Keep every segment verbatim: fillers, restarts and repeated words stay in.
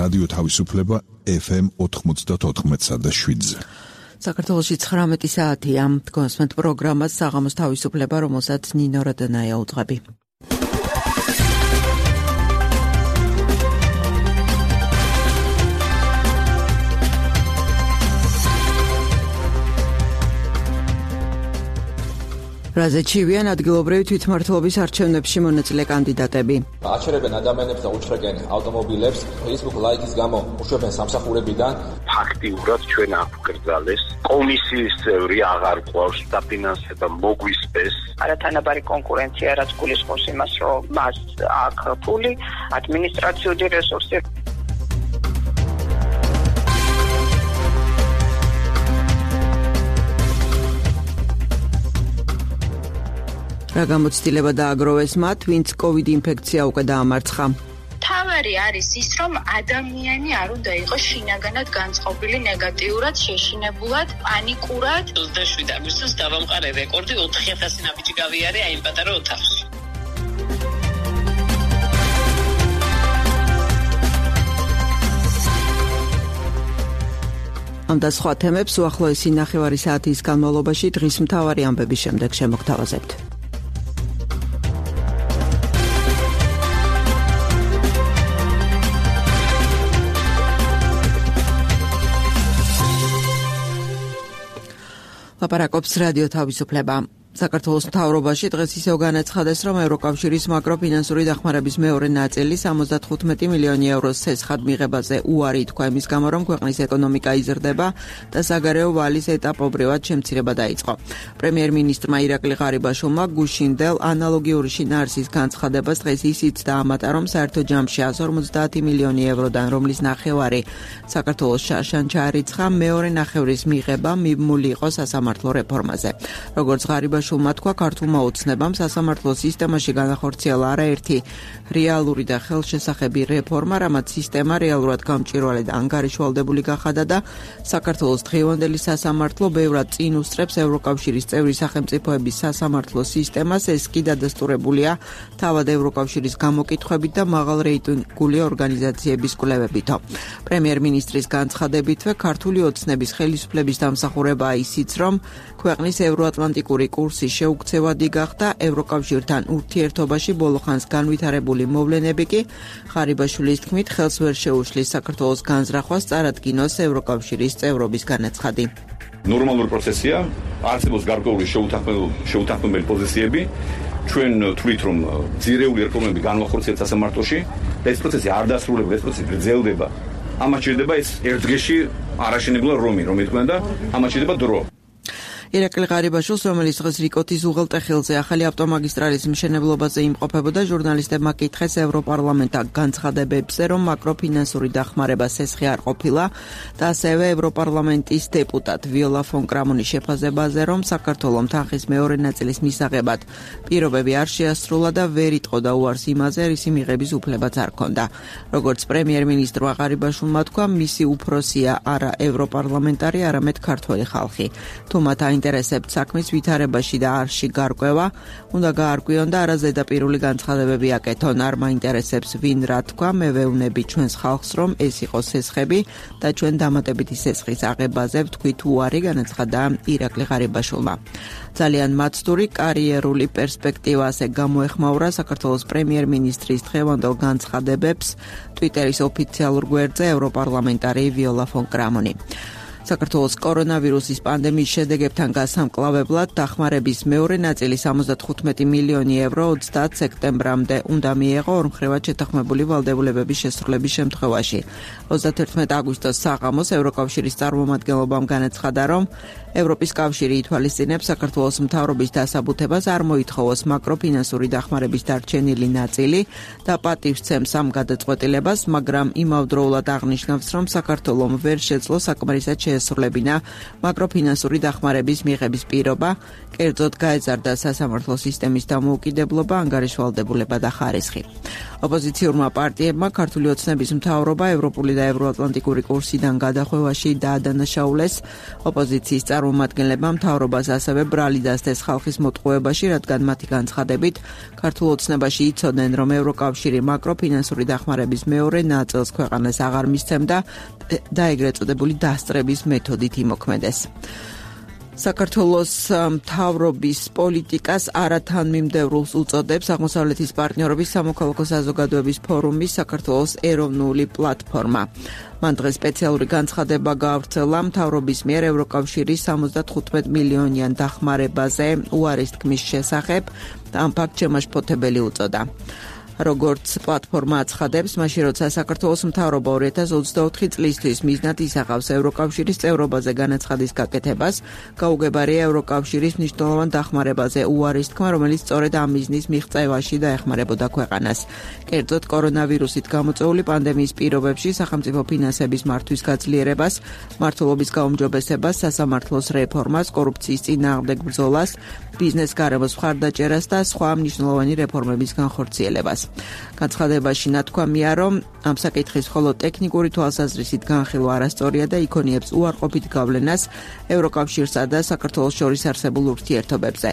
რადიო თავისუფლება ეფ ემ ოთხმოცდაოთხ და შვიდზე. საქართველოში ცხრამეტი საათია. გონსმენთ პროგრამას საღამოს თავისუფლება, რომელსაც ნინო რადანაია უძღვები. რაზე ჩივიან ადგილობრივი თვითმმართველობის არჩევნებში მონაწილე კანდიდატები. აჩერებენ ადამიანებს და უჩხრენ ავტომობილებს, Facebook ლაიქის გამო უშვებენ სამსახურებიდან. ფაქტიურად ჩვენ აგვგრძალეს კომისიის წევრი აღარ ყავს დაფინანსება მოგვისპეს. არათანაბარი კონკურენცია რაც გულისხმობს იმას, რომ მას აქვს ფული, ადმინისტრაციული რესურსი. რა გამოცდილება დააგროვეს მათ, ვინც COVID ინფექცია უკვე დაამარცხა. თავარი არის ის, რომ ადამიანი არ უნდა იყოს შინაგანად განწყობილი ნეგატიურად, შეშინებულად, პანიკურად. ოცდაშვიდ აგვისტოს დავამყარე რეკორდი ოთხი ათასი ნაბიჯი გავიარე აი იმ პატარა ოთახში. ამ და სხვა თემებს უახლოესი ნახევარი საათის განმავლობაში დღის მთავარი ამბების შემდეგ შემოგთავაზებთ. ლაპარაკობს რადიო თავისუფლება. საქართველოს მთავრობაში დღეს ისევ განაცხადეს, რომ ევროკავშირის მაკროფინანსური დახმარების მეორე ნაწილი სამოცდათხუთმეტი მილიონი ევროს ცეცხლად მიღებაზე უარი თქვა იმის გამო, რომ ქვეყნის ეკონომიკა იზრდება და საგარეო ვალის ეტაპობრივად შემცირება დაიწყო. პრემიერ-მინისტრმა ირაკლი ღარიბაშვილმა გუშინდელ ანალოგიური შინაარსის განცხადებას დღეს ისიც დაამატა, რომ საერთო ჯამში εκατს ორმოცდაათი მილიონი ევროდან, რომლის ნახევარი საქართველოს შარშან ჩაარიცხა, მეორე ნახევრის მიღება მიმული იყო სასამართლო რეფორმაზე. როგორც ღარიბაშვილმა შულმა თქვა, ქართულმა ოცნებამ სასამართლო სისტემაში განახორციელა არაერთი რეალური და ხელშესახები რეფორმა, რამაც სისტემა რეალურად გამჭვირვალე და ანგარიშვალდებული გახადა და საქართველოს დღევანდელი სასამართლო ბევრად წინ უსწრებს ევროკავშირის წევრი სახელმწიფოების სასამართლო სისტემას, ეს კი დადასტურებულია თავად ევროკავშირის გამოკითხვებით და მაღალ რეიტინგული ორგანიზაციების კვლევებითო. პრემიერ-მინისტრის განცხადებითვე ქართული ოცნების ხელისუფლების დამსახურებაა ისიც, რომ ქვეყნის ევროატლანტიკური კურსი შეუქცევადი გახდა, ევროკავშირთან ურთიერთობაში ბოლოხანს განვითარებული მოვლენები კი ღარიბაშვილის თქმით ხელს ვერ შეუშლის საქართველოს განზრახვას წარადგინოს ევროკავშირის წევრობის განაცხადი. ნორმალური პროცესია, არსებობს გარკვეული შეუთანხმებელი პოზიციები, ჩვენ თვლით, რომ ძირეული რეფორმები განვახორციელეთ სასამართლოში და ეს პროცესი არ დასრულდება, ეს პროცესი გრძელდება. ამას შეიძლება ეს ერთ დღეში არაშენებულა რომი, რომ ეთქვია და ამას შეიძლება დრო. ირაკლი ღარიბაშვილს, რომელიც დღეს რიკოთის უღელტეხილზე ახალი ავტომაგისტრალის მშენებლობაზე იმყოფებოდა, ჟურნალისტებმა კითხეს ევროპარლამენტთან განცხადებებზე, რომ მაკროფინანსური დახმარება სესხი არ ყოფილა და ასევე ევროპარლამენტის დეპუტატ ვიოლა ფონ კრამონის შეფასებაზე, რომ საქართველოს თანხის მეორე ნაწილის მისაღებად პირობები არ შეასრულა და ვერ იტყოდა უარს იმაზე, რისი მიღების უფლებაც არ ჰქონდა. როგორც პრემიერ-მინისტრმა ღარიბაშვილმა თქვა, მისი უფროსია არა ევროპარლამენტარი, არამედ ქართველი ხალხი. თუ მათ ინტერესებთ საქმის ვითარებაში და არში გარკვევა, უნდა გაარკვიონ და არაზედაპირული განცხადებები აკეთონ. არ მაინტერესებს ვინ რა თქვა, მე ვეუბნები ჩვენს ხალხს, რომ ეს იყო სესხები და ჩვენ დამატებითი სესხის აღებაზე ვთქვით უარი, განაცხადა ირაკლი ღარიბაშვილმა. ძალიან მაცდური კარიერული პერსპექტივა ასე გამოეხმაურა საქართველოს პრემიერ-მინისტრის დღევანდელ განცხადებებს ტვიტერის ოფიციალურ გვერდზე ევროპარლამენტარი ვიოლა ფონ კრამონი. საქართველოს კორონავირუსის პანდემიის შედეგებთან გასამკლავებლად დახმარების მეორე ნაწილი სამოცდათხუთმეტი მილიონი ევრო ოცდაათ სექტემბრამდე უნდა მიეღო ორმხრივად შეთანხმებული ვალდებულებების შესრულების შემთხვევაში. ოცდათერთმეტი აგვისტოს საღამოს ევროკავშირის წარმომადგენლობამ განაცხადა, რომ ევროპის კავშირი ითვალისწინებს საქართველოს მთავრობის დასაბუთებას არ მოითხოვოს მაკროფინანსური დახმარების დარჩენილი ნაწილი და პატივს ცემს ამ გადაწყვეტილებას, მაგრამ იმავდროულად აღნიშნავს, რომ საქართველომ ვერ შეძლო საკმარისად შეესრულებინა მაკროფინანსური დახმარების მიღების პირობა, კერძოდ გაეზარდა სასამართლო სისტემის დამოუკიდებლობა, ანგარიშვალდებულება და ხარისხი. ოპოზიციურმა პარტიებმა ქართული ოცნების მთავრობა ევროპული და ევროატლანტიკური კურსიდან გადახვევაში დაადანაშაულეს. ოპოზიციის წარმომადგენლებმა მთავრობას ასევე ბრალი დასდეს ხალხის მოტყუებაში, რადგან მათი განცხადებით ქართულ ოცნებაში იცოდნენ, რომ ევროკავშირი მაკროფინანსური დახმარების მეორე ნაწილს ქვეყანას აღარ მისცემდა და ეგრეთ წოდებული დასწრების მეთოდით იმოქმედეს. საქართველოს მთავრობის პოლიტიკას არათანმიმდევრულს უწოდებს აღმოსავლეთის პარტნიორობის სამოქალაქო საზოგადოების ფორუმის საქართველოს ეროვნული პლატფორმა. მან დღეს სპეციალური განცხადება გაავრცელა მთავრობის მიერ ევროკავშირის სამოცდათხუთმეტ მილიონიან დახმარებაზე უარის თქმის შესახებ და ამ ფაქტს შემაშფოთებელი უწოდა. როგორც პლატფორმა აცხადებს, მაშინ როცა საქართველოს მთავრობა ორი ათას ოცდაოთხი წლისთვის მიზნად ისახავს ევროკავშირის წევრობაზე განაცხადის გაკეთებას, გაუგებარია ევროკავშირის მნიშვნელოვან დახმარებაზე უარის თქმა, რომელიც სწორედ ამ მიზნის მიღწევაში დაეხმარებოდა ქვეყანას. კერძოდ, კორონავირუსით გამოწვეული პანდემიის პირობებში სახელმწიფო ფინანსების მართვის გაძლიერებას, მმართველობის გაუმჯობესებას, სასამართლოს რეფორმას, კორუფციის წინააღმდეგ ბრძოლას, ბიზნეს გარემოს მხარდაჭერას და სხვა მნიშვნელოვანი რეფორმების განხორციელებას. განცხადებაში ნათქვამია, რომ ამ საკითხის მხოლოდ ტექნიკური თვალსაზრისით განხილვა არასწორია და იქონიებს უარყოფით გავლენას ევროკავშირსა და საქართველოს შორის არსებულ ურთიერთობებზე.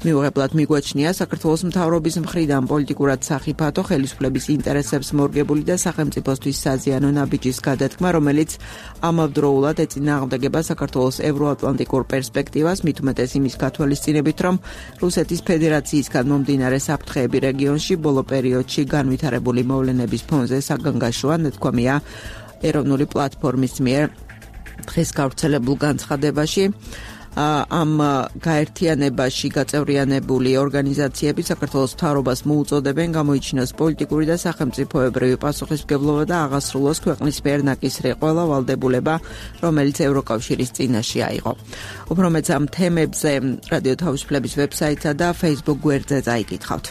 მიუღებლად მიგვაჩნია საქართველოს მთავრობის მხრიდან პოლიტიკურად სახიფათო ხელისუფლების ინტერესებს მორგებული და სახელმწიფოსთვის საზიანო ნაბიჯის გადათქმა, რომელიც ამავდროულად ეწინააღმდეგება საქართველოს ევროატლანტიკურ პერსპექტივას, მით უმეტეს იმის გათვალისწინებით, რომ რუსეთის ფედერაციისგან მომდინარე საფრთხეები რეგიონში ბოლო პერიოდში განვითარებული მოვლენების ფონზე საგანგაშოა, ნათქვამია ეროვნული პლატფორმის მიერ დღეს გავრცელებულ განცხადებაში. ამ გაერთიანებაში გაწევრიანებული ორგანიზაციები საქართველოს მთავრობას მოუწოდებენ გამოიჩინოს პოლიტიკური და სახელმწიფოებრივი პასუხისმგებლობა და აღასრულოს ქვეყნის მიერ ნაკისრი ყველა ვალდებულება, რომელიც ევროკავშირის წინაშე აიღო. უფრო მეც ამ თემებზე რადიო თავისუფლების ვებსაიტსა და Facebook გვერდზე წაიკითხავთ.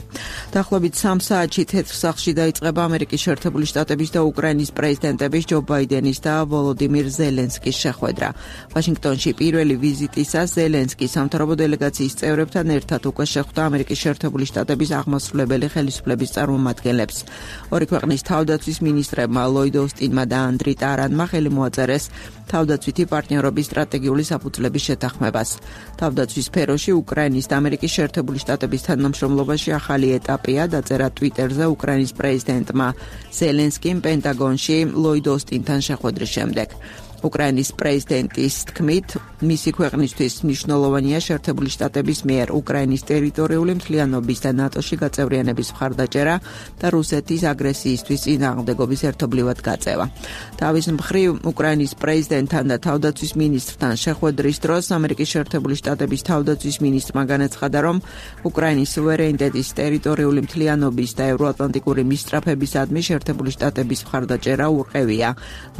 დაახლოებით სამ საათში თეთრ სახლში დაიწყება ამერიკის შეერთებული შტატების და უკრაინის პრეზიდენტების ჯო ბაიდენის და ვოლოდიმირ ზელენსკის შეხვედრა. ვაშინგტონში პირველი ვიზიტის ზელენსკი სამთავრობო დელეგაციის წევრებთან ერთად უკვე შეხვდა ამერიკის შეერთებული შტატების აღმასრულებელი ხელისუფლების წარმომადგენლებს. ორი ქვეყნის თავდაცვის მინისტრებმა ლოიდ ოსტინმა და ანდრი ტარანმა ხელი მოაწერეს თავდაცვითი პარტნიორობის სტრატეგიული საფუძვლების შეთანხმებას. თავდაცვის სფეროში უკრაინის და ამერიკის შეერთებული შტატების თანამშრომლობაში ახალი ეტაპია, დაწერა ტვიტერზე უკრაინის პრეზიდენტმა ზელენსკიმ პენტაგონში ლოიდ ოსტინთან შეხვედრის შემდეგ. უკრაინის პრეზიდენტის თქმით, მისი ქვეყნისთვის მნიშვნელოვანია შეერთებული შტატების მიერ უკრაინის ტერიტორიული მთლიანობის და ნატოში გაწევრიანების მხარდაჭერა და რუსეთის აგრესიისთვის წინააღმდეგობის ერთობლივად გაწევა. თავის მხრივ, უკრაინის პრეზიდენტთან და თავდაცვის მინისტრთან შეხვედრის დროს ამერიკის შეერთებული შტატების თავდაცვის მინისტრმა განაცხადა, რომ უკრაინის სუვერენიტეტის ტერიტორიული მთლიანობის და ევროატლანტიკური მისწრაფებისადმი შეერთებული შტატების მხარდაჭერა ურყევია.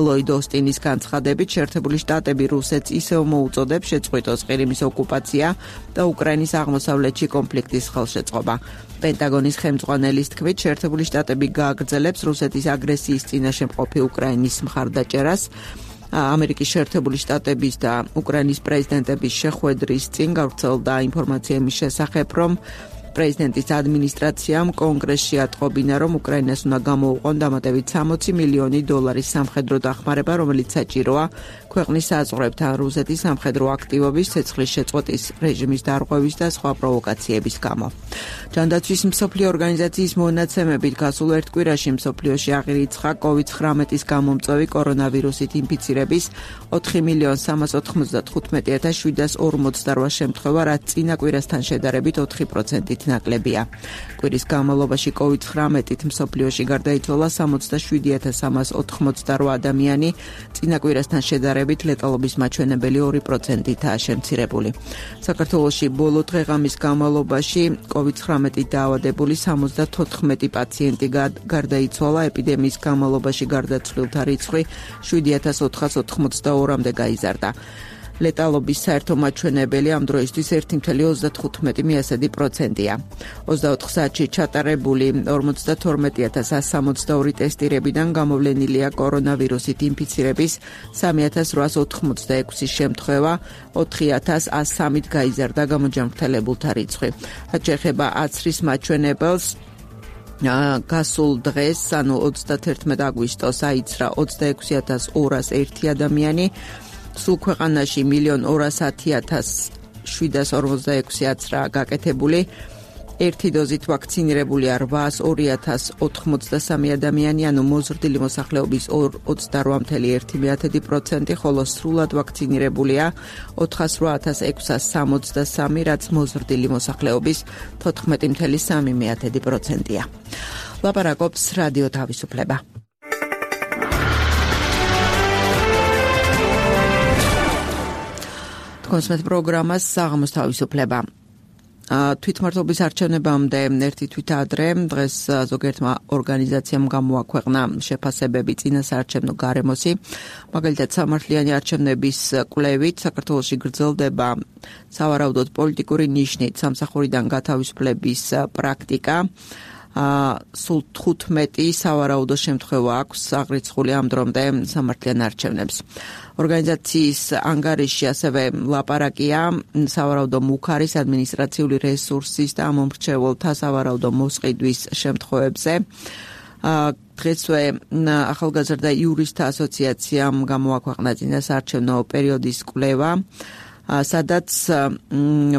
ლოიდ ოსტინის განცხადებით, შეერთებული შტატები რუსეთს ისევ მოუწოდებს შეწყვიტოს ყირიმის ოკუპაცია და უკრაინის აღმოსავლეთში კონფლიქტის ხელშეწყობა. პენტაგონის ხელმძღვანელის თქმით, შეერთებული შტატები გააგრძელებს რუსეთის აგრესიის წინაშე მყოფი უკრაინის მხარდაჭერას. ამერიკის შეერთებული შტატების და უკრაინის პრეზიდენტების შეხვედრის წინ გავრცელდა ინფორმაცია იმის შესახებ, რომ პრეზიდენტის ადმინისტრაციამ კონგრესში ატყობინა, რომ უკრაინას უნდა გამოუყონ დამატებით სამოცი მილიონი დოლარის სამხედრო დახმარება, რომელიც საჭიროა ქვეყნის საზღვრებთან რუსეთის სამხედრო აქტივობის, ცეცხლის შეწყვეტის რეჟიმის დარღვევის და სხვა პროვოკაციების გამო. ჯანდაცვის მსოფლიო ორგანიზაციის მონაცემებით გასულ ერთ კვირაში მსოფლიოში აღირიცხა კოვიდ ცხრამეტის გამომწვევი კორონავირუსით ინფიცირების ოთხი მილიონი სამას ოთხმოცდათხუთმეტი ათას შვიდას ორმოცდარვა შემთხვევა, რაც წინა კვირასთან შედარებით ოთხი პროცენტით ნაკლებია. კვირის განმავლობაში კოვიდ ცხრამეტით მსოფლიოში გარდაიცვალა სამოცდაშვიდი ათას სამას ოთხმოცდარვა ადამიანი, წინა კვირასთან შედარებით ლეტალობის მაჩვენებელი ორი პროცენტითაა შემცირებული. საქართველოში ბოლო დღეღამის განმავლობაში კოვიდ ცხრამეტით დაავადებული სამოცდათოთხმეტი პაციენტი გარდაიცვალა, ეპიდემიის განმავლობაში გარდაცვლილთა რიცხვი შვიდი ათას ოთხას ოთხმოცდაორამდე გაიზარდა. ლეტალობის საერთო მაჩვენებელი ამ დროისთვის ერთი კoma ოცდათხუთმეტი პროცენტია. ოცდაოთხ საათში ჩატარებული ორმოცდათორმეტი ათას ასს სამოცდაორი ტესტირებიდან გამოვლენილია კორონავირუსით ინფიცირების სამი ათას რვაას ოთხმოცდაექვსი შემთხვევა, ოთხი ათას ას სამით გაიზარდა გამოჯანმრთელებულთა რიცხვი. რაც შეეხება აცრის მაჩვენებელს, გასულ დღეს, ანუ ოცდათერთმეტ აგვისტოს აიცრა ოცდაექვსი ათას ორას ერთი ადამიანი, სულ ქვეყანაში მილიონ ორას ათი ათას შვიდას ორმოცდაექვსი აცრა გაკეთებული, ერთი დოზით ვაქცინირებულია რვაას ორი ათას ოთხმოცდასამი ადამიანი, ანუ მოზრდილი მოსახლეობის ოცდარვა კoma ერთი პროცენტი, ხოლო სრულად ვაქცინირებულია ოთხას რვა ათას ექვსას სამოცდასამი, რაც მოზრდილი მოსახლეობის თოთხმეტი კoma სამი პროცენტია. ლაპარაკობს რადიო თავისუფლება. თქვენს პროგრამას საღამოს თავისუფლება. თვითმმართველობის არჩევნებამდე ერთი თვით ადრე დღეს ზოგიერთმა ორგანიზაციამ გამოაქვეყნა შეფასებები წინასაარჩევნო გარემოსი. მაგალითად, სამართლიანი არჩევნების კვლევით საქართველოში გრძელდება სავარაუდოდ პოლიტიკური ნიშნით სამსახურიდან გათავისუფლების პრაქტიკა. სულ თხუთმეტი სავარაუდო შემთხვევა აქვს აღრიცხული ამ დრომდე სამართლიან არჩევნებს. ორგანიზაციის ანგარიშში ასევე ლაპარაკია სავარაუდო მუქარის ადმინისტრაციული რესურსის და ამომრჩეველთა სავარაუდო მოსყიდვის შემთხვევებზე. დღესვე ახალგაზრდა იურისტთა ასოციაციამ გამოაქვეყნა წინასაარჩევნო პერიოდის კვლევა, სადაც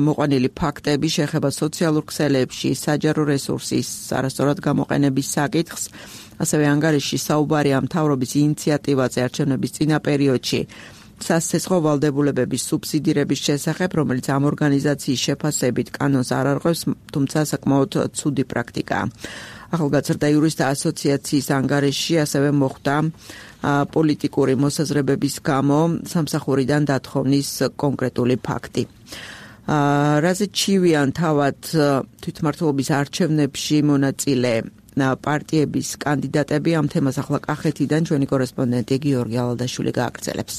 მოყვანილი ფაქტები შეეხება სოციალურ ქსელებში საჯარო რესურსის არასწორად გამოყენების საკითხს. ასევე ანგარიშში საუბარია მთავრობის ინიციატივაზე არჩევნების წინა პერიოდში სასიცოცხლო ვალდებულებების სუბსიდირების შესახებ, რომელიც ამ ორგანიზაციის შეფასებით კანონს არ არღვევს, თუმცა საკმაოდ ცუდი პრაქტიკაა. ახალგაზრდა იურისტთა ასოციაციის ანგარიშში ასევე მოხვდა პოლიტიკური მოსაზრებების გამო სამსახურიდან დათხოვნის კონკრეტული ფაქტი. რაზე ჩივიან თავად თვითმმართველობის არჩევნებში მონაწილე პარტიების კანდიდატები, ამ თემას ახლა კახეთიდან ჩვენი კორესპონდენტი გიორგი ალადაშვილი გააგრძელებს.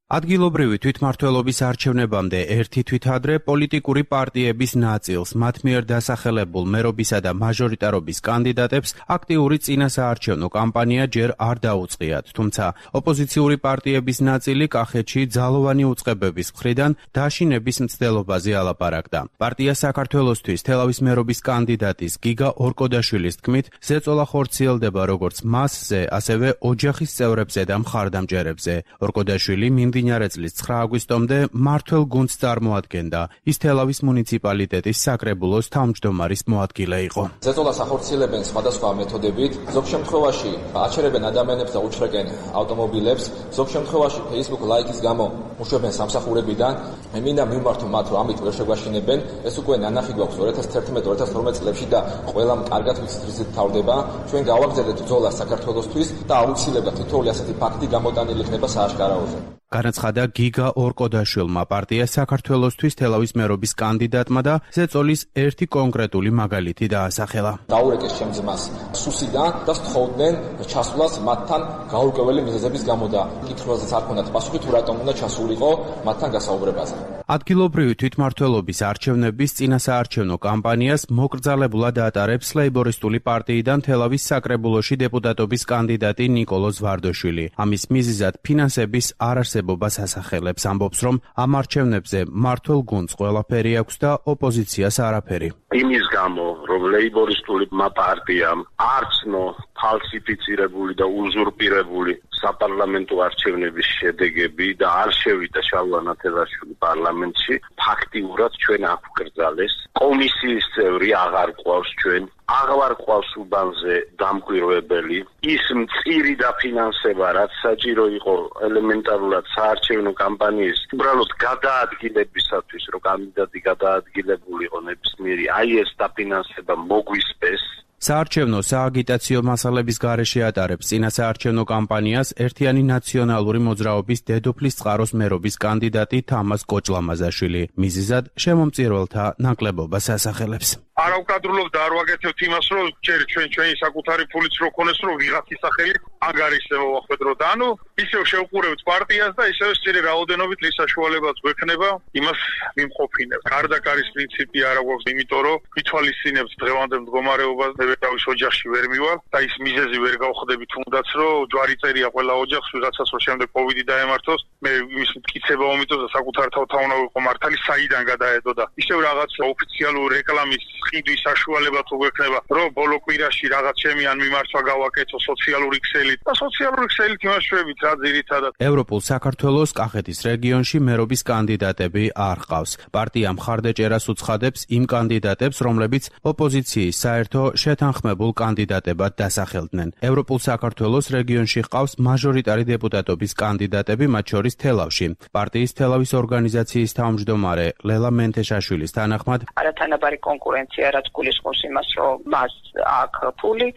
ადგილობრივი თვითმმართველობის არჩევნებამდე ერთი თვით ადრე პოლიტიკური პარტიების ნაწილს, მათ მიერ დასახელებულ მერობისა და მაჟორიტარობის კანდიდატებს აქტიური წინასაარჩევნო კამპანია ჯერ არ დაუწყიათ, თუმცა ოპოზიციური პარტიების ნაწილი კახეთში ძალოვანი უწყებების მხრიდან დაშინების მცდელობაზე ალაპარაკდა. პარტია საქართველოსთვის თელავის მერობის კანდიდატის გიგა ორკოდაშვილის თქმით, ზეწოლა ხორციელდება როგორც მასზე, ასევე ოჯახის წევრებზე და მხარდამჭერებზე. ორკოდაშვილი მდინარე წლის ცხრა აგვისტომდე მართველ გუნდს წარმოადგენდა. ის თელავის მუნიციპალიტეტის საკრებულოს თავმჯდომარის მოადგილე იყო. ზეწოლას ახორციელებენ სხვადასხვა მეთოდებით, ზოგ შემთხვევაში აჩერებენ ადამიანებს და უჩრეკენ ავტომობილებს, ზოგ შემთხვევაში Facebook ლაიკის გამო უშვებენ სამსახურებიდან. მე მინდა მიმართო მათ, რომ ამით ვერ შეგვაშინებენ. ეს უკვე ნანახი გვაქვს ორი ათას თერთმეტ ორი ათას თორმეტ წლებში და ყველამ კარგად ვიცით რითიც თავდება. ჩვენ გავაგზავნეთ ბრძოლა საქართველოსთვის და აუცილებლად თითოეული ასეთი ფაქტი გამოტანილი იქნება სააშკარაოზე. განაცხადა გიგა ორკოდაშვილმა პარტია საქართველოსთვის თელავის მერობის კანდიდატმა და ზეწოლის ერთი კონკრეტული მაგალითი დაასახელა. დაურეკეს ჩემ ძმას სუსიდან და სთხოვდნენ ჩასვლას მათთან გაურკვეველი მიზეზების გამო და კითხვაზეც არ ქონდათ პასუხი, თუ რატომ უნდა ჩასულიყო მათთან გასაუბრებაზე. ადგილობრივი თვითმმართველობის არჩევნების წინასაარჩევნო კამპანიას მოკრძალებულად ატარებს ლეიბორისტული პარტიიდან თელავის საკრებულოში დეპუტატობის კანდიდატი ნიკოლოზ ვარდოშვილი. ამის მიზეზად ფინანსების არარსებობას ასახელებს, ამბობს, რომ ამ არჩევნებზე მართლ გუნდს ყველაფერი აქვს და ოპოზიციას არაფერი. იმის გამო, რომ ლეიბორისტული პარტიამ არცნო ფალსიფიცირებული და უზურპირებული საპარლამენტო არჩევნების შედეგები და არ შევიდა შალვა ნათელაშვილი პარლამენტში, ფაქტიურად ჩვენ აგვკრძალეს. კომისიის წევრი აღარ ყავს ჩვენ, აღარ ყავს უბანზე დამკვირვებელი. ის მწირი დაფინანსება, რაც საჭირო იყო ელემენტარულად საარჩევნო კამპანიის უბრალოდ გადაადგილებისათვის, რომ კანდიდატი გადაადგილებულიყო ნებისმიერი, აი ეს დაფინანსება მოგვისპეს. საარჩევნო სააგიტაციო მასალების გარეშე ატარებს წინასაარჩევნო კამპანიას ერთიანი ნაციონალური მოძრაობის დედოფლის წყაროს მერობის კანდიდატი თამას კოჭლამაზაშვილი. მიზეზად შემომწირველთა ნაკლებობას ასახელებს. არავკადრულობ და არ ვაგეთებთ იმას, რომ ჯერ ჩვენ ჩვენი საკუთარი ფულიც რო ქონეს, რომ ვიღაცის სახელი ანგარის მოახდროთ. ანუ ისევ შევყურებთ პარტიას და ისევ სწორი რაოდენობით ის საშუალებაც გვექნება იმას მიმყოფინებს. გარდა კარის პრინციპი არ აქვს, იმიტომ რომ ვითვალისწინებს დღევანდელ მდგომარეობას, ნებერავის ოჯახში ვერ მივალ და ის მიზეზი ვერ გავხდები თუნდაც რომ ჯვარი წერია ყველა ოჯახს ვიღაცას რომ შემდეგ კოვიდი დაემართოს, მე იმის მტკიცება მომიწევს და საკუთარ თავთავნა ვიყო მართალი საიდან გადაედო და ისევ რაღაც ოფიციალური რეკლამის ყიდვის საშუალება თუ გვექნება, რომ ბოლო კვირაში რაღაც ჩემი ან მიმართვა გავაკეთო სოციალური ქსელით და სოციალური ქსელით იმაშვებით რა ძირითადად. ევროპულ საქართველოს კახეთის რეგიონში მერობის კანდიდატები არ ყავს. პარტია მხარდაჭერას უცხადებს იმ კანდიდატებს, რომლებიც ოპოზიციის საერთო შეთანხმებულ კანდიდატებად დასახელდნენ. ევროპულ საქართველოს რეგიონში ყავს მაჟორიტარი დეპუტატობის კანდიდატები, მათ შორის თელავში. პარტიის თელავის ორგანიზაციის თავმჯდომარე ლელა მენთეშაშვილის თანახმად, არათანაბარი კონკურენცია რაც გულისხმობს იმას, რომ მას აქვს ფული,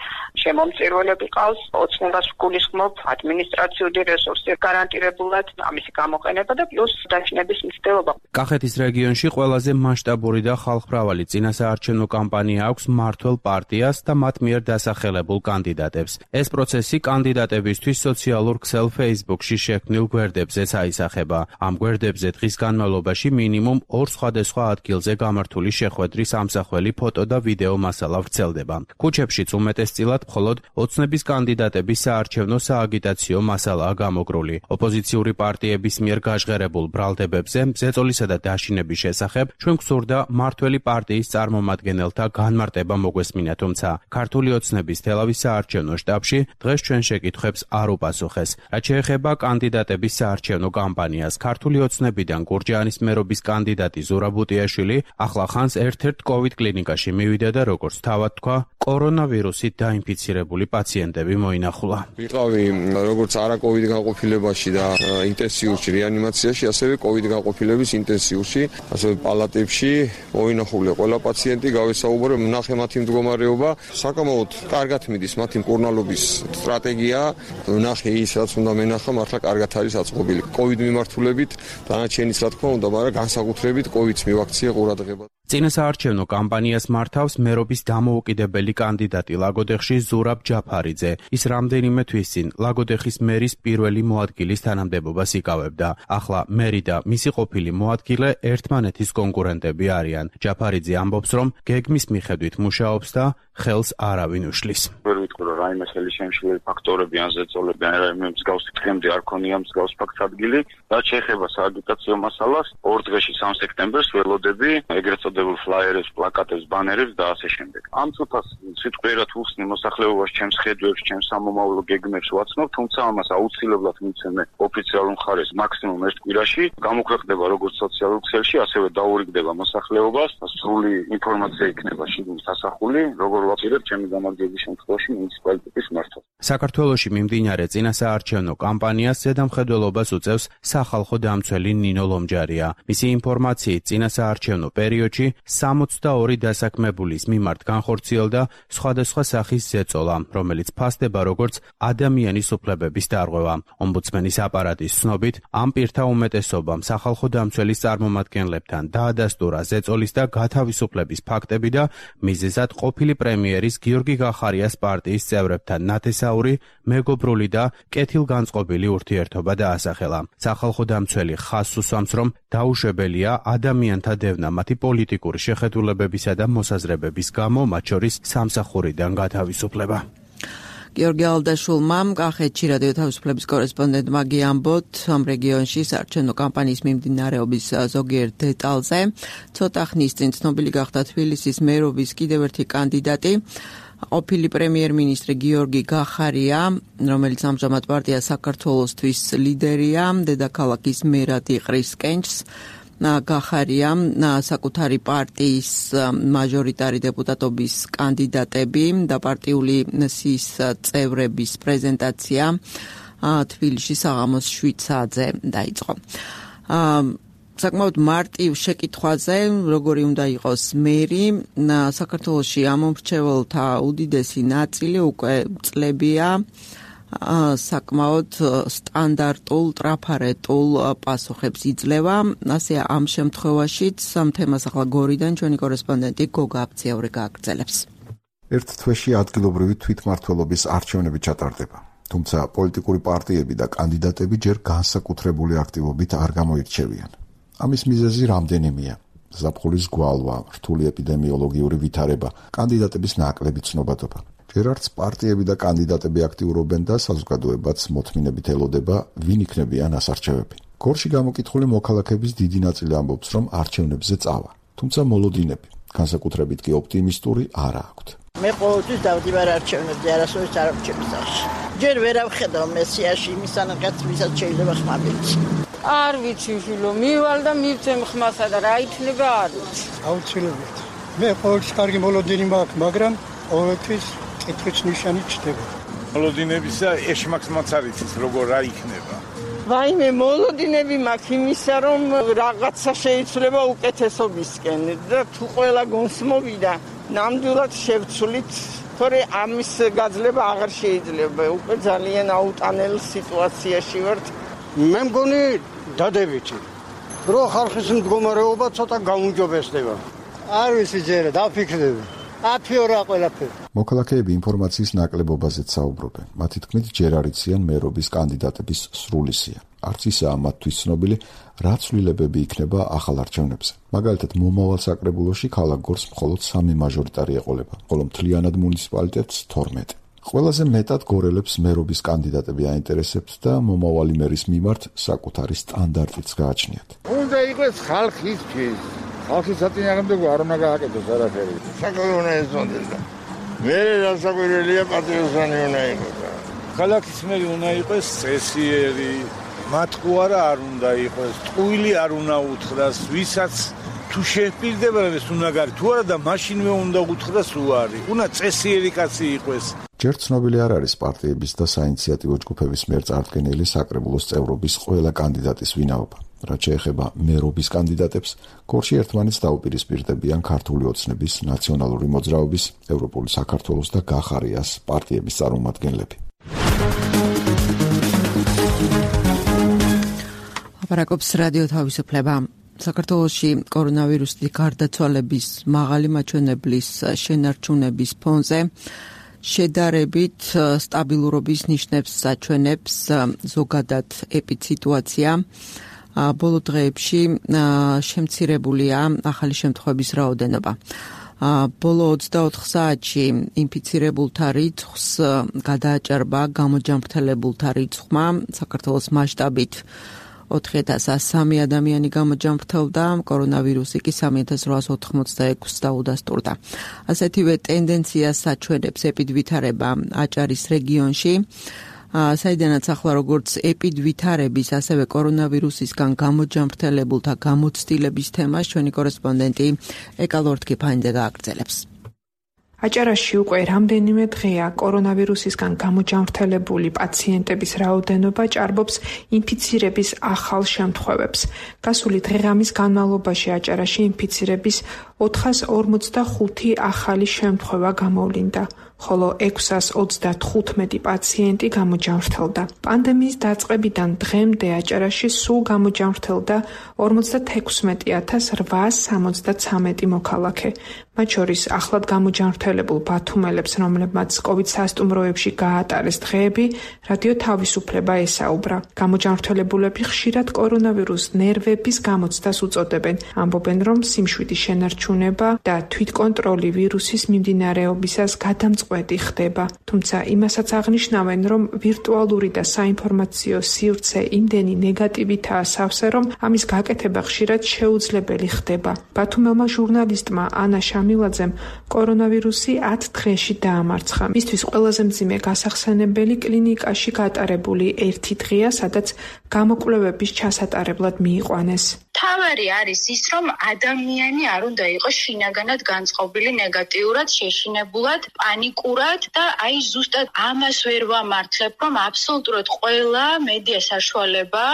შემომწირველები ყავს, ოცნებას გულისხმობ ადმინისტრაციული რესურსი გარანტირებულად ამისი გამოყენება და პლუს დაშინების მცდელობა. კახეთის რეგიონში ყველაზე მასშტაბური და ხალხმრავალი წინასაარჩევნო კამპანია აქვს მმართველ პარტიას და მათ მიერ დასახელებულ კანდიდატებს. ეს პროცესი კანდიდატებისთვის სოციალურ ქსელ Facebook-ში შექმნილ გვერდებზეც აისახება. ამ გვერდებზე დღის განმავლობაში მინიმუმ ორ სხვადასხვა ადგილზე გამართული შეხვედრის ამსახველი ფოტო და ვიდეო მასალა ვრცელდება. ქუჩებშიც უმეტესწილად მხოლოდ ოცნების კანდიდატების საარჩევნო სააგიტაციო მასალაა გამოგრული. ოპოზიციური პარტიების მიერ გაჟღერებულ ბრალდებებზე მზეწოლისა და დაშინების შესახებ ჩვენ გვსურდა მმართველი პარტიის წარმომადგენელთა განმარტება მოგვესმინა, თუმცა ქართული ოცნების თელავის საარჩევნო შტაბში დღეს ჩვენ შეკითხვებს არ უპასუხეს. რაც შეეხება კანდიდატების საარჩევნო კამპანიას, ქართული ოცნებიდან გურჯაანის მერობის კანდიდატი ზურაბ უტიაშვილი ახლა ხანს ერთ-ერთ კოვიდ კლინიკაში მივიდა და როგორც თავად თქვა, კორონავირუსით დაინფიცირებული პაციენტები მოინახულა. ვიყავი როგორც არაკოვიდ განყოფილებაში და ინტენსიურში რეანიმაციაში, ასევე კოვიდ განყოფილების ინტენსიურში, ასევე პალატებში მოინახულია ყველა პაციენტი, გავესაუბრო, ვნახე მათი მდგომარეობა, საკამაოდ კარგად მიდის მათი მკურნალობის სტრატეგია, ვნახე ის რაც უნდა მენახა, მართლა კარგად არის აწყობილი. კოვიდ მიმართულებით დანარჩენის რა თქმა უნდა, მაგრამ განსაკუთრებით კოვიდს მივაქცია ყურადღება. წინასაარჩევნო კამპანიას მართავს მერობის დამოუკიდებელი კანდიდატი ლაგოდეხში ზურაბ ჯაფარიძე. ის რამდენიმე თვის წინ ლაგოდეხის მერის პირველი მოადგილის თანამდებობას იკავებდა. ახლა მერი და მისი ყოფილი მოადგილე ერთმანეთის კონკურენტები არიან. ჯაფარიძე ამბობს, რომ გეგმის მიხედვით მუშაობს და ხელს არავინ უშლის. ვერ ვიტყვი, რომ რაიმე ხელი შემშლელი ფაქტორები ან ზეწოლები ან რაიმე მსგავსი დღემდე არ ქონია მსგავს ფაქტს ადგილი. რაც შეეხება სააგიტაციო მასალას, ორ დღეში სამ სექტემბერს ველოდები ეგრეთ წოდებულ ფლაიერებს, პლაკატებს, ბანერებს და ასე შემდეგ. ამ ცოტას სიტყვიერად უსნი მოსახლეობას ჩემს ხედვებს, ჩემს სამომავლო გეგმებს ვაცნობ, თუმცა ამას აუცილებლად მიცემე ოფიციალურ მხარეს მაქსიმუმ ერთ კვირაში, გამოქვეყნდება როგორც სოციალურ ქსელში, ასევე დაურიგდება მოსახლეობას, სრული ინფორმაცია იქნება შიგნით ასახული, როგორ ვაპირებ ჩემი გამარჯვების შემთხვევაში მუნიციპალიტეტის მართვას. საქართველოში მიმდინარე წინასაარჩევნო კამპანიას ზედამხედველობას უწევს სახალხო დამცველი ნინო ლომჯარია. მისი ინფორმაციით წინასაარჩევნო პერიოდში სამოცდაორი დასაქმებულის მიმართ განხორციელდა სხვადასხვა სახის ზეწოლა, რომელიც ფასდება როგორც ადამიანის უფლებების დარღვევა. ომბუდსმენის აპარატის ცნობით, ამ პირთა უმეტესობამ სახალხო დამცველის წარმომადგენლებთან დაადასტურა ზეწოლის და გათავისუფლების ფაქტები და მიზეზად ყოფილი პრემიერის გიორგი გახარიას პარტიის წევრებთან ნათესაური, მეგობრული და კეთილგანწყობილი ურთიერთობა დაასახელა. სახალხო დამცველი ხაზს უსვამს, რომ დაუშვებელია ადამიანთა დევნა მათი პოლიტიკური შეხედულებებისა და მოსაზრებების გამო, მათ შორის სამსახურიდან გათავისუფლება. გიორგი ალდაშულმა კახეთში რადიო თავისუფლების კორესპონდენტმა გიამბოთ ამ რეგიონში საარჩევნო კამპანიის მიმდინარეობის ზოგიერთ დეტალზე. ცოტა ხნის წინ ცნობილი გახდა თბილისის მერობის კიდევ ერთი კანდიდატი, ყოფილი პრემიერ-მინისტრი გიორგი გახარია, რომელიც ამჟამად პარტია საქართველოსთვის ლიდერია, დედაქალაქის მერად იყრის კენჭს. გახარია საკუთარი პარტიის მაჟორიტარი დეპუტატობის კანდიდატები და პარტიული სიის წევრების პრეზენტაცია თბილისში საღამოს შვიდ საათზე დაიწყო. საკმაოდ მარტივ შეკითხვაზე, როგორი უნდა იყოს მერი, საქართველოში ამომრჩეველთა უდიდესი ნაწილი უკვე წლებია საკმაოდ სტანდარტულ, ტრაფარეტულ პასუხებს იძლევა. ასე ამ შემთხვევაშიც ამ თემას ახლა გორიდან ჩვენი კორესპონდენტი გოგა აფციაური გააგრძელებს. ერთ თვეში ადგილობრივი თვითმმართველობის არჩევნები ჩატარდება. თუმცა პოლიტიკური პარტიები და კანდიდატები ჯერ განსაკუთრებული აქტივობით არ გამოირჩევიან. ამის მიზეზი რამდენიმეა: ზაფხულის გვალვა, რთული ეპიდემიოლოგიური ვითარება, კანდიდატების ნაკლები ცნობადობა. ჯერ არც პარტიები და კანდიდატები აქტიურობენ და საზოგადოებაც მოთმინებით ელოდება, ვინ იქნებიან ასარჩევები. გორში გამოკითხული მოქალაქეების დიდი ნაწილი ამბობს, რომ არჩევნებზე წავა, თუმცა მოლოდინები, განსაკუთრებით კი ოპტიმისტური არა აქვთ. მე ყოველთვის დავდივარ არჩევნებზე, არასოდეს არ არჩევნის სახში. ჯერ ვერ ავხედავ მესიაში იმის ანაკაც, ვისაც შეიძლება ხმა ვიცი. არ ვიცი შვილო, მივალ და მივცემ ხმასა და რა იქნება არ ვიცი. აუცილებლად. მე ყოველთვის კარგი მოლოდინი მაქვს, მაგრამ ყოველთვის კითხვის ნიშანი ჩდება. მოლოდინებისა ეშმაკს არ იცის, როგორ რა იქნება. ვაიმე, მოლოდინები მაქვს იმისა, რომ რაღაცა შეიძლება უკეთესობისკენ და თუ ყველა გონსმოვიდა, ნამდვილად შევცვლით, თორე ამის გაძლება აღარ შეიძლება. უკვე ძალიან აუტანელ სიტუაციაში ვართ. მე მგონი დადებითი. რო ხალხის მდგომარეობა ცოტა გაუმჯობესდება. არ ვიცი ჯერა, დაფიქრდები. აფიორა ყველაფერი. მოქალაქეები ინფორმაციის ნაკლებობაზეც საუბრობენ. მათი თქმით, ჯერ არ იციან მერობის კანდიდატების სრული სია. არც ისაა მათთვის ცნობილი, რა ცვლილებები იქნება ახალ არჩევნებზე. მაგალითად, მომავალ საკრებულოში ქალაქ გორს მხოლოდ სამი მაჟორიტარი ეყოლება, ხოლო მთლიანად მუნიციპალიტეტს თორმეტი. ყველაზე მეტად გორელებს მერობის კანდიდატები აინტერესებთ და მომავალი მერის მიმართ საკუთარი სტანდარტიც გააჩნიათ. უნდა იყოს ხალხისთვის. ხალხის საწინააღმდეგო არ უნდა გააკეთოს არაფერი. საკუთარი უნდა ეძონდეს და მე რასაკვირველია პატრიოტანი უნდა იყოს. ქალაქის მერი უნდა იყოს წესიერი, მათყუ არა არ უნდა იყოს, ტყუილი არ უნდა უთხრას, ვისაც თუ შეჰპირდება ეს უნდა გარი, თუ არა და მაშინვე უნდა უთხრას უარი. უნდა წესიერი კაცი იყოს. ჯერ ცნობილი არ არის პარტიების და საინიციატივო ჯგუფების მიერ წარდგენილი საკრებულოს წევრობის ყველა კანდიდატის ვინაობა. რაც შეეხება მერობის კანდიდატებს, გორში ერთმანეთს დაუპირისპირდებიან ქართული ოცნების, ნაციონალური მოძრაობის, ევროპული საქართველოს და გახარიას პარტიების წარმომადგენლები. აპარაკობს რადიო თავისუფლება. საქართველოში კორონავირუსის გარდაცვალების მაღალი მაჩვენებლის შენარჩუნების ფონზე შედარებით სტაბილურობის ნიშნებს აჩვენებს ზოგადად ეპიდსიტუაცია. ბოლო დღეებში შემცირებულია ახალი შემთხვევების რაოდენობა. ბოლო ოცდაოთხ საათში ინფიცირებულთა რიცხვს გადააჭარბა გამოჯანმრთელებულთა რიცხვმა. საქართველოს მასშტაბით ოთხი ათას სამი ადამიანი გამოჯანმრთელდა, კორონავირუსი კი სამი ათას რვაას ოთხმოცდაექვსს დაუდასტურდა. ასეთივე ტენდენციას აჩვენებს ეპიდვითარება აჭარის რეგიონში, საიდანაც ახლა როგორც ეპიდვითარების, ასევე კორონავირუსისგან გამოჯანმრთელებულთა გამოცდილების თემას ჩვენი კორესპონდენტი ეკა ლორთქიფანიძე გააგრძელებს. აჭარაში უკვე რამდენიმე დღეა კორონავირუსისგან გამოჯანმრთელებული პაციენტების რაოდენობა ჭარბობს ინფიცირების ახალ შემთხვევებს. გასული დღე-ღამის განმავლობაში აჭარაში ინფიცირების ოთხას ორმოცდახუთი ახალი შემთხვევა გამოვლინდა, ხოლო ექვსას ოცდათხუთმეტი პაციენტი გამოჯანმრთელდა. პანდემიის დაწყებიდან დღემდე აჭარაში სულ გამოჯანმრთელდა ორმოცდათექვსმეტი ათას რვაას სამოცდაცამეტი მოქალაქე. მათ შორის ახლად გამოჯანმრთელებულ ბათუმელებს, რომლებმაც კოვიდ სასტუმროებში გაატარეს დღეები, რადიო თავისუფლება ესაუბრა. გამოჯანმრთელებულები ხშირად კორონავირუს ნერვების გამოცდას უწოდებენ. ამბობენ, რომ სიმშვიდის შენარჩუნება და თვითკონტროლი ვირუსის მიმდინარეობისას გადამწყვეტი ხდება. თუმცა იმასაც აღნიშნავენ, რომ ვირტუალური და საინფორმაციო სივრცე იმდენი ნეგატივითაა სავსე, რომ ამის გაკეთება ხშირად შეუძლებელი ხდება. ბათუმელმა ჟურნალისტმა ანა შამილაძემ კორონავირუსი ათ დღეში დაამარცხა. მისთვის ყველაზე მძიმე გასახსენებელი კლინიკაში გატარებული ერთი დღეა, სადაც გამოკვლევების ჩასატარებლად მიიყვანეს. თავარი არის ის, რომ ადამიანი არ უნდა იყოს შინაგანად განწყობილი ნეგატიურად, შეშინებულად, პანიკურად და აი ზუსტად ამას ვერ ვამართლებ, რომ აბსოლუტურად ყველა მედია საშუალება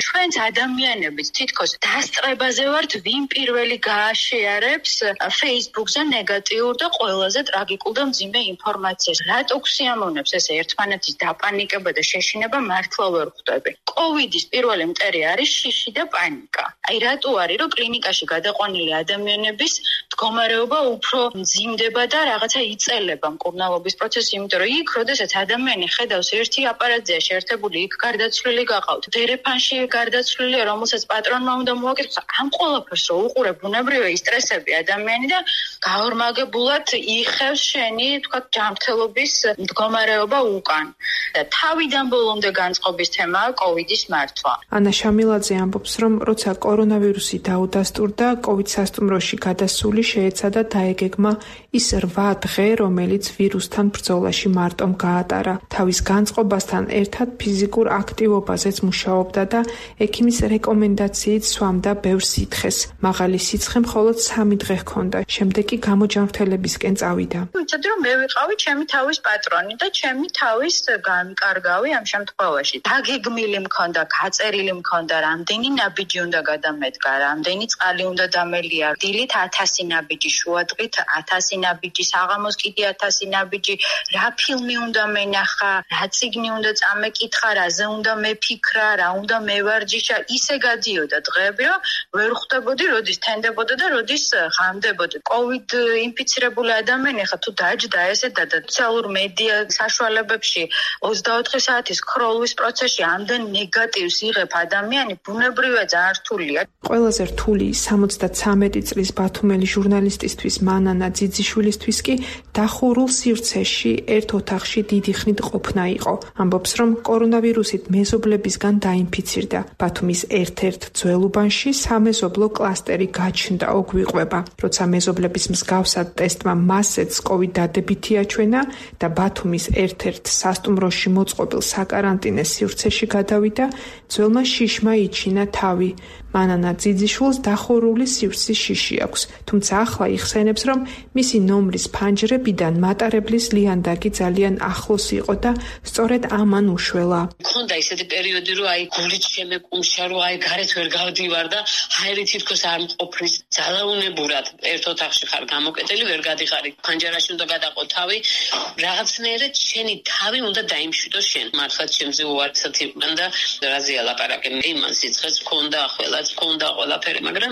ჩვენს ადამიანებს თითქოს დასწრებაზე ვართ, ვინ პირველი გააშეარებს Facebook-ზე ნეგატიურ და ყველაზე ტრაგიკულ და მძიმე ინფორმაციას. რატო ქსიამოვნებს ესე ერთმანეთის დაპანიკება და შეშინება მართლა ვერ ხვდები. კოვიდის პირველი მტერი არის შიში და პანიკა. აი რატო არის, რომ კლინიკაში გადაყვანილი ადამიანების მდგომარეობა უფრო მძიმდება და რაღაცა იწელება მკურნალობის პროცესი, იმიტომ რომ იქ, როდესაც ადამიანი ხედავს ერთი აპარატზეა შეერთებული, იქ გარდაცვლილი გყავთ. დერეფანში გარდაცვლილია, რომელსაც პატრონმა უნდა მოაკითხოს. ამ ყველაფერს რო უყურებ, ბუნებრივია ისტრესები ადამიანი და გაორმაგებულად იხევს შენი, თქვათ, ჯანმრთელობის მდგომარეობა უკან. და თავიდან ბოლომდე განწყობის თემაა კოვიდის მართვა. ანა შამილაძე ამბობს, რომ როცა კორონავირუსი დაუდასტურდა, კოვიდ სასტუმროში გადასული შეეცადა დაეგეგმა ის რვა დღე, რომელიც ვირუსთან ბრძოლაში მარტომ გაატარა. თავის განწყობასთან ერთად ფიზიკურ აქტივობაზეც მუშაობდა და ექიმის რეკომენდაციით სვამდა ბევრ სითხეს. მაღალი სიცხე მხოლოდ სამი დღე ჰქონდა. შემდეგ კი გამოჯანმრთელებისკენ წავიდა. ვიცოდი, რომ მე ვიყავი ჩემი თავის პატრონი და ჩემი თავის განკარგავი ამ შემთხვევაში. დაგეგმილი მქონდა, გაწერილი მქონდა, რამდენი ნაბიჯი უნდა გადამედგა, რამდენი წყალი უნდა დამელია. დილით ათასი ნაბიჯი, შუადღით ათასი ნაბიჯი, საღამოს კიდე ათასი ნაბიჯი, რა ფილმი უნდა მენახა, რა წიგნი უნდა წამეკითხა, რაზე უნდა მეფიქრა, რა უნდა მევარჯიშა, ისე გადიოდა დღეები, რომ ვერ ხვდებოდი, როდის თენდებოდა და როდის ღამდებოდი. კოვიდ ინფიცირებული ადამიანი ხა თუ დაჯდა ესე და სოციალურ მედია საშუალებებში ოცდაოთხი საათის ქროლვის პროცესში ამდენ ნეგატივს იღებ ადამიანი, ბუნებრივია ძალიან რთულია. ყველაზე რთული სამოცდაცამეტი წლის ბათუმელი ჟურნალისტისთვის მანანა ძიძიშვილისთვის კი დახურულ სივრცეში ერთ ოთახში დიდი ხნით ყოფნა იყო. ამბობს, რომ კორონავირუსით მეზობლებისგან დაინფიცირდა. ბათუმის ერთ-ერთ ძველ უბანში სამეზობლო კლასტერი გაჩნდა, ოგვიყვება. როცა მეზობლების მსგავსად ტესტმა მასეც კოვიდ დადებითი აჩვენა და ბათუმის ერთ-ერთ სასტუმროში მოწყობილ საკარანტინე სივრცეში გადავიდა, ძველმა შიშმა იჩინა თავი. მანანა ძიძიშვილს დახურული სივრცის შიში აქვს, თუმცა ახლა იხსენებს, რომ მისი ნომრის ფანჯრებიდან მატარებლის ლიანდაგი ძალიან ახლოს იყო და სწორედ ამან უშველა. მქონდა ისეთი პერიოდი, რომ აი გულით შემეკუმშა, რომ აი გარეთ ვერ გავდივარ და ჰაერი თითქოს არ მყოფნის, ძალაუნებურად ერთ ოთახში ხარ გამოკეტილი, ვერ გადიხარი, ფანჯარაში უნდა გადაყო თავი, რაღაცნაირად შენი თავი უნდა დაიმშვიდოს შენ. მართლაც ჩემზე უარცად იყვნენ და რაზეა ლაპარაკი, იმან სიცხეს მქონდა ახლა მქონდა ყველაფერი, მაგრამ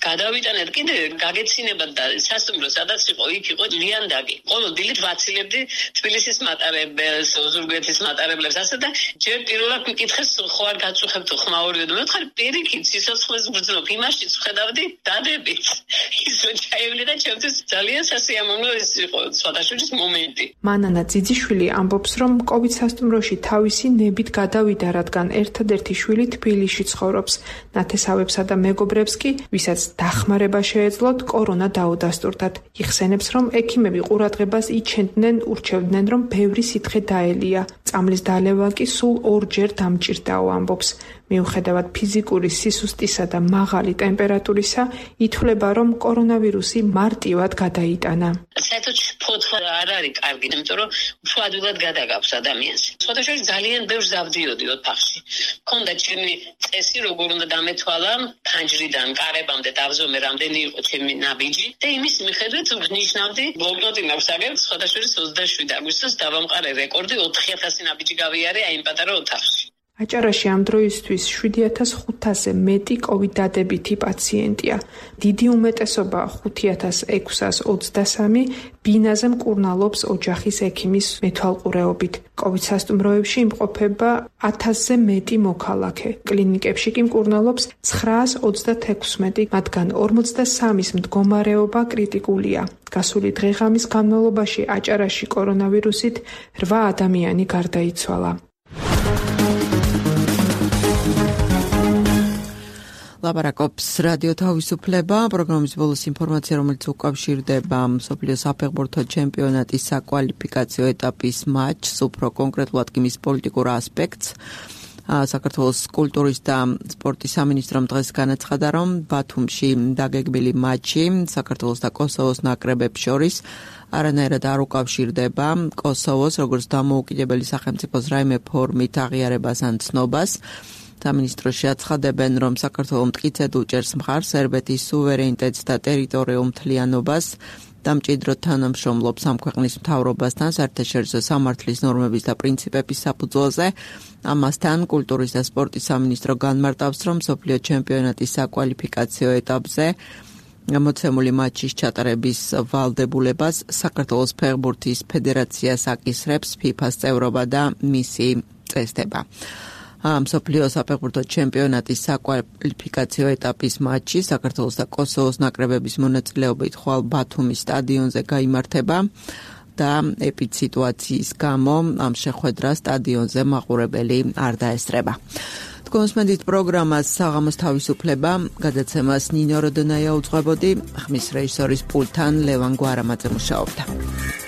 გადავიტანეთ კიდე გაგეცინებათ და სასტუმრო სადაც იყო, იქ იყო ლიანდაგი. ყოველ დილით ვაცილებდი თბილისის მატარებელს, ოზურგეთის მატარებლებს, ასე და ჯერ პირველად მიკითხეს, ხო არ გაწუხებთ ხმაურიო და მე ვთქვი, პირიქით, სიცოცხლეს ვგრძნობ, იმაშიც ვხედავდი დადებით. ის რო ჩაივლი და ჩემთვის ძალიან სასიამოვნო ის იყო სხვადასხვა მომენტი. მანანა ძიძიშვილი ამბობს, რომ კოვიდ სასტუმროში თავისი ნებით გადავიდა, რადგან ერთადერთი შვილი თბილისში ცხოვრობს. ნათესავებსა და მეგობრებს კი, ვისაც დახმარება შეეძლოთ, კორონა დაუდასტურდათ. იხსენებს, რომ ექიმები ყურადღებას იჩენდნენ, ურჩევდნენ, რომ ბევრი სითხე დაელია. წამლის დალევა კი სულ ორჯერ დამჭირდაო, ამბობს. მიუხედავად ფიზიკური სისუსტისა და მაღალი ტემპერატურისა, ითვლება, რომ კორონავირუსი მარტივად გადაიტანა. საერთოდ ფოთლა არ არის კარგი, იმიტომ რომ უფრო ადვილად გადაგავს ადამიანს. სხვადასხვა ძალიან ბევრს დავდიოდი ოთახში. მქონდა ჩემი წესი, როგორ უნდა დამეთვალა ფანჯრიდან კარებამდე დავზომე, რამდენი იყო ჩემი ნაბიჯი და იმის მიხედვით ვნიშნავდი, ბლოკნოტი მაქვს აგერ, სხვადასხვა ოცდაშვიდი აგვისტოს დავამყარე რეკორდი, ოთხი ათასი ნაბიჯი გავიარე აი იმ პატარა ოთახში. აჭარაში ამ დროისთვის შვიდი ათას ხუთასზე მეტი კოვიდ დადებითი პაციენტია. დიდი უმეტესობა ხუთი ათას ექვსას ოცდასამი ბინაზე მკურნალობს ოჯახის ექიმის მეთვალყურეობით. კოვიდ სასტუმროებში იმყოფება ათასზე მეტი მოქალაქე. კლინიკებში კი მკურნალობს ცხრაას ოცდათექვსმეტი, მათგან ორმოცდასამის მდგომარეობა კრიტიკულია. გასული დღე-ღამის განმავლობაში აჭარაში კორონავირუსით რვა ადამიანი გარდაიცვალა. ლაპარაკობს რადიო თავისუფლება, პროგრამის ბოლოს ინფორმაცია, რომელიც უკავშირდება მსოფლიოს საფეხბურთო ჩემპიონატის საკვალიფიკაციო ეტაპის მატჩს, უფრო კონკრეტულად კი მის პოლიტიკურ ასპექტს. საქართველოს კულტურის და სპორტის სამინისტრომ დღეს განაცხადა, რომ ბათუმში დაგეგმილი მატჩი საქართველოს და კოსოვოს ნაკრებებს შორის არანაირად არ უკავშირდება კოსოვოს, როგორც დამოუკიდებელი სახელმწიფოს რაიმე ფორმით აღიარებას ან ცნობას. სამინისტროში აცხადებენ, რომ საქართველო მტკიცედ უჭერს მხარს სერბეთის სუვერენიტეტს და ტერიტორიულ მთლიანობას და მჭიდროდ თანამშრომლობს ამ ქვეყნის მთავრობასთან საერთაშორისო სამართლის ნორმების და პრინციპების საფუძველზე. ამასთან კულტურის და სპორტის სამინისტრო განმარტავს, რომ მსოფლიო ჩემპიონატის საკვალიფიკაციო ეტაპზე მოცემული მატჩის ჩატარების ვალდებულებას საქართველოს ფეხბურთის ფედერაციას აკისრებს ფიფას წევრობა და მისი წესდება. მსოფლიო საფეხბურთო ჩემპიონატის საკვალიფიკაციო ეტაპის მატჩი საქართველოს და კოსოვოს ნაკრებების მონაწილეობით ხვალ ბათუმის სტადიონზე გაიმართება და ეპიდსიტუაციის გამო ამ შეხვედრას სტადიონზე მაყურებელი არ დაესწრება. კონსმენდით პროგრამას საღამოს თავისუფლება გადაცემას ნინო როდონაია უძღვებოდი, ხმის რეჟისორის პულტთან ლევან გვარამაძე მუშაობდა.